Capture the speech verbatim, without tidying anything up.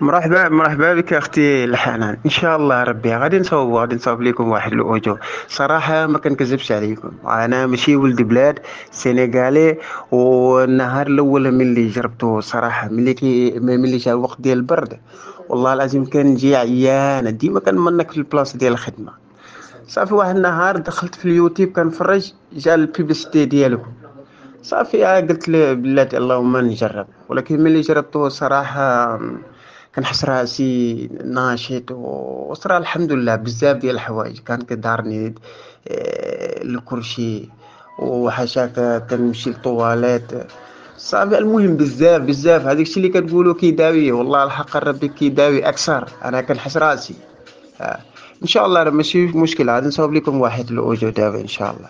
مرحبا مرحبا بك اختي الحنان. ان شاء الله ربي غادي نصاوب غادي نصاوب لكم واحد ال audio. صراحة ما كنكذبش عليكم، انا ماشي ولد بلاد سينغالي، والنهار الاول ملي جربته صراحة ملي كي ملي جا الوقت ديال البرد والله العظيم كنجي عيانه، ديما كنمنك في البلاصة ديال الخدمة. صافي واحد النهار دخلت في اليوتيوب كنفرج، جا ال publicité ديالكم، صافي قلت له بلاتي اللهم نجرب. ولكن ملي جربته صراحة كنحس راسي ناشط، وصرا الحمد لله بزاف ديال الحوايج. كان كدارني آه، الكرشي وحاشاك كنمشي للطواليت صافي. المهم بزاف بزاف هذاك الشيء اللي كتقولوا كيداوي، والله الحق ربي كيداوي اكثر. انا كنحس راسي آه. ان شاء الله راه ماشي مشكل، غادي نصاوب لكم واحد ال audio دابا ان شاء الله.